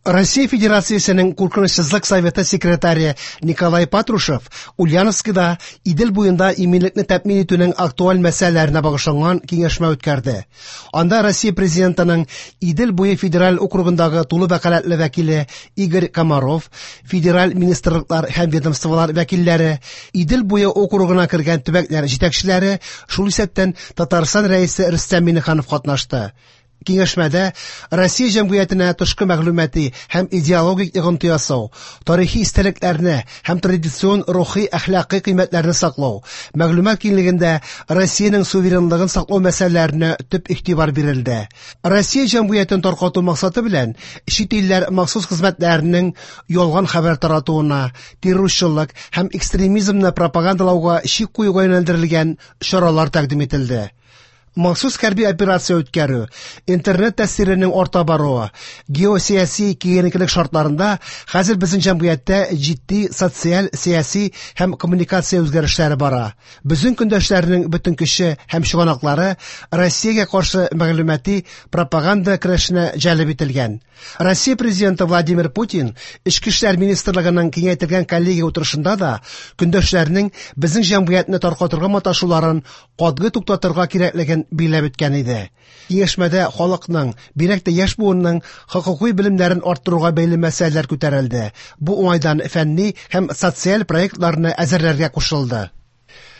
Россия Федерациясенең Куркынычсызлык советы секретаре Николай Патрушев Ульяновскида Идел буенда иминлекне тәэмин итүнең актуаль мәсьәләләренә багышланган киңәшмә үткәрде. Анда Россия Президентының Идел буе федераль округындагы тулы вәкаләтле вәкиле Игорь Комаров, федераль министрлыклар һәм ведомстволар вәкилләре, Идел буе округына кергән төбәкләр җитәкчеләре, шул исәптән Татарстан Рәисе Рөстәм Миңнеханов катнашты. Киңәшмәдә Россия җәмгыятенә тышкы мәгълүмати һәм идеологик йогынты ясау, тарихи истәлекләрне һәм традицион рухи әхлакый кыйммәтләрне саклау, мәгълүмат киңлегендә Россиянең суверенлыгын саклау мәсьәләләренә төп игътибар бирелде. Россия җәмгыятен таркату максаты белән чит илләр махсус хезмәтләренең ялган хәбәр таратуына, террорчылык һәм экстремизмны пропагандалауга чик куюга юнәлдерелгән чаралар тәкъдим ителде. Махсус хәрби операция үткәрү, интернет тәэсиренең арта баруы, геосәяси киеренкелек шартларында хәзер безнең җәмгыятьтә җитди социаль, сәяси һәм коммуникация үзгәрешләре бара. Безнең көндәшләрнең бөтен көче һәм чыганаклары Россиягә каршы мәгълүмати пропаганда көрәшенә җәлеп ителгән. Россия Президенты Владимир Путин Эчке эшләр министрлыгының киңәйтелгән коллегия утырышында да көндәшләрнең безнең җәмгыятьне таркатырга маташуларын катгый туктатырга кирәклеген билгеләп үткән иде. Киңәшмәдә халыкның, бигрәк тә яшь буынның хокукый белемнәрен арттыруга бәйле мәсьәләләр күтәрелде. Бу уңайдан фәнни һәм социаль проектларны әзерләргә кушылды.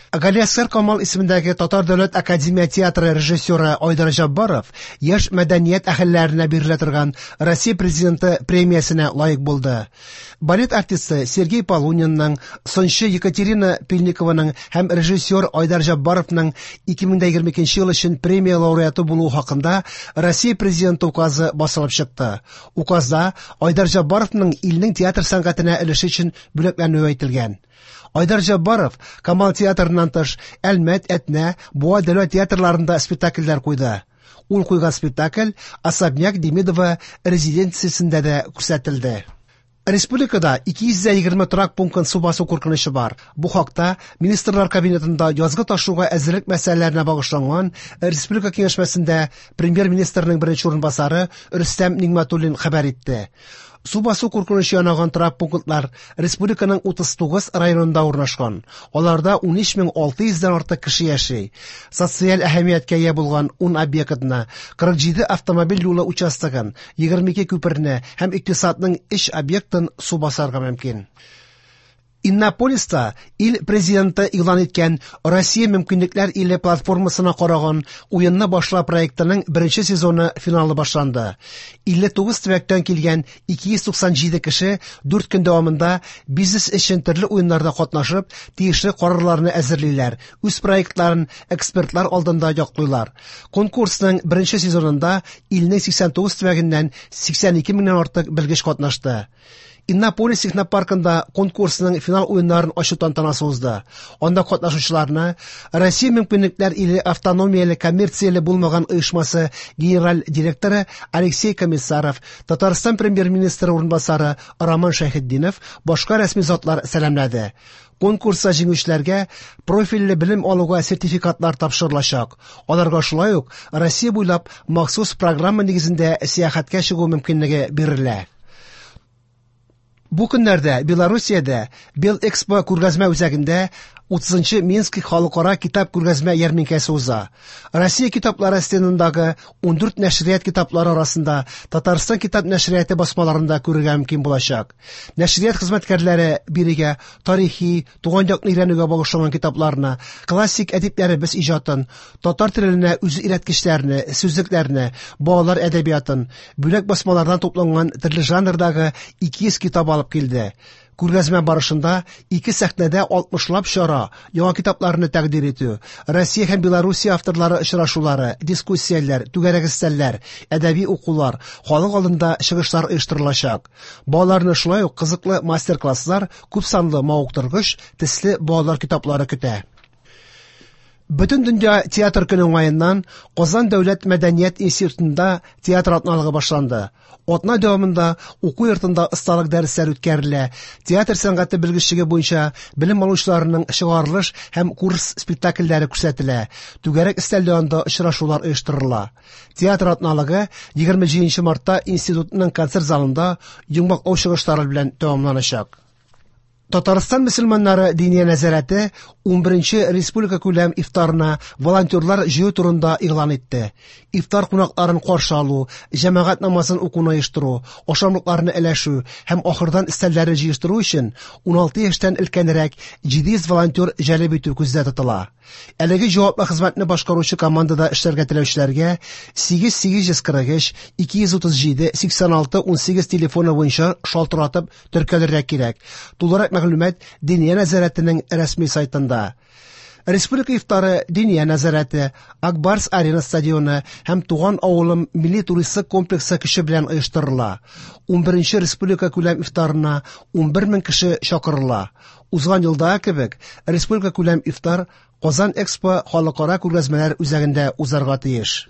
Галиәсгар Камал исемендәге Татар дәүләт академия театры режиссеры Айдар Җаббаров яшь мәдәният әһелләренә бирелә торган Россия Президенты премиясенә лаек булды. Балет артисты Сергей Полунинның, сынчы Екатерина Пильникованың һәм режиссер Айдар Җаббаровның 2022 ел өчен премия лауреаты булуы хакында Россия Президенты указы басылып чыкты. Указда Айдар Җаббаровның илнең театр сәнгатенә өлеше өчен бүләкләнүе әйтелгән. Айдар Җаббаров Камал театрыннан тыш Әлмәт, Әтнә, Буа дәүләт театрларында спектакльләр куйды. Ул куйган спектакль Особняк Демидова резиденциясендә дә күрсәтелде. Республикада 220 торак пунктын су басу куркынычы бар. Бу хакта Министрлар Кабинетында язгы ташуга әзерлек мәсьәләләренә багышланган республика киңәшмәсендә премьер-министрның беренче урынбасары Рөстәм Нигъмәтуллин хәбәр итте. Су басу куркынычы янаган торак пунктлар республиканың 39 районында урнашкан. Аларда 13600 дән артык кеше яши. Социаль әһәмияткә ия булган 10 объектны, 47 автомобиль юлы участогын, 22 күперне һәм икътисадның 3 объектын су басарга мөмкин. Иннополиста ил президенты игълан иткән Россия мөмкинлекләр иле платформасына караган Уенны башла проектының беренче сезоны финалы башланды. 59 төбәктән килгән 297 кеше 4 көн дәвамында бизнес өчен төрле уеннарда катнашып, тиешле карарларны әзерлиләр, үз проектларын экспертлар алдында яклыйлар. Конкурсның беренче сезонында илнең 89 төбәгеннән 82 меңнән артык белгеч катнашты. Иннополис технопаркында конкурсның финал уеннарын ачу тантанасы узды. Анда катнашучыларны Россия мөмкинлекләр иле автономияле коммерцияле булмаган оешмасы генераль директоры Алексей Комиссаров, Татарстан премьер-министры урынбасары Роман Шәйхетдинов, башка рәсми затлар сәламләде. Конкурста җиңүчеләргә профильле белем алуга сертификатлар тапшырылачак. Аларга шулай ук Россия буйлап махсус программа нигезендә сәяхәткә чыгу мөмкинлеге бирелә. Бу көннәрдә Белоруссиядә Белэкспо күргәзмә үзәгендә 30 Минск халыкара китап күргәзмә ярминкәсе уза. Россия китаплары стендындагы 14 нәшрият китаплары арасында Татарстан китап нәшрияты басмаларында күрергә мөмкин булачак. Нәшрият хезмәткәрләре бирегә тарихи, туган якны өйрәнүгә багышланган китапларны, классик әдипләребез иҗатын, татар теленә үз өйрәткечләрне, сүзлекләрне, балалар әдәбиятын, бүләк басмалардан тупланган төрле жанрдагы 200 китап алып килде. Күргәзмә барышында ике сәхнәдә 60лап чара, яңа китапларны тәкъдир итү, Россия һәм Белоруссия авторлары очрашулары, дискуссияләр, түгәрәк өстәлләр, әдәби укулар, халык алдында чыгышлар оештырылачак. Балаларны шулай ук кызыклы мастер-класслар, күп санлы мавыктыргыч, төсле балалар китаплары көтә. Бөтендөнья театр көне уңаеннан Казан дәүләт мәдәният институтында театр атналыгы башланды. Атна дәвамында уку йортында осталык дәресләре үткәрелә, театр сәнгате белгечлеге буенча белем алучыларның чыгарылыш һәм курс спектакльләре күрсәтелә, түгәрәк өстәл янында очрашулар оештырыла. Театр атналыгы 27 мартта институтның концерт залында йомгаклау чыгышлары белән тәмамланачак. Татарстан мөселманнары Диния нәзарәте 11нче республикакүләм ифтарына волонтерлар җыю турында игълан итте. Ифтар кунакларын каршы алу, җәмәгать намазын укуны оештыру, ашамлыкларны өләшү һәм ахырдан өстәлләрне җыештыру өчен 16 яшьтән өлкәнрәк 700 волонтер җәлеп итү күздә тотыла. Әлеге җаваплы хезмәтне башкаручы командада эшләргә теләүчеләргә 8843 237 86 18 телефоны буенча шалтыратып теркәлергә кирәк. Тулырак мәгълүмат Диния нәзарәтенең рәсми сайтында. Республика ифтары Диния нәзарәте, Ак Барс Арена стадионы һәм Туган авылым милли туристлык комплексы көче белән оештырыла. 11нче республика күләм ифтарына 11 мең кеше чакырыла. Узган елдагы кебек, республика күләм ифтар Казан Экспо халыкара күргәзмәләр үзәгендә узарга тиеш.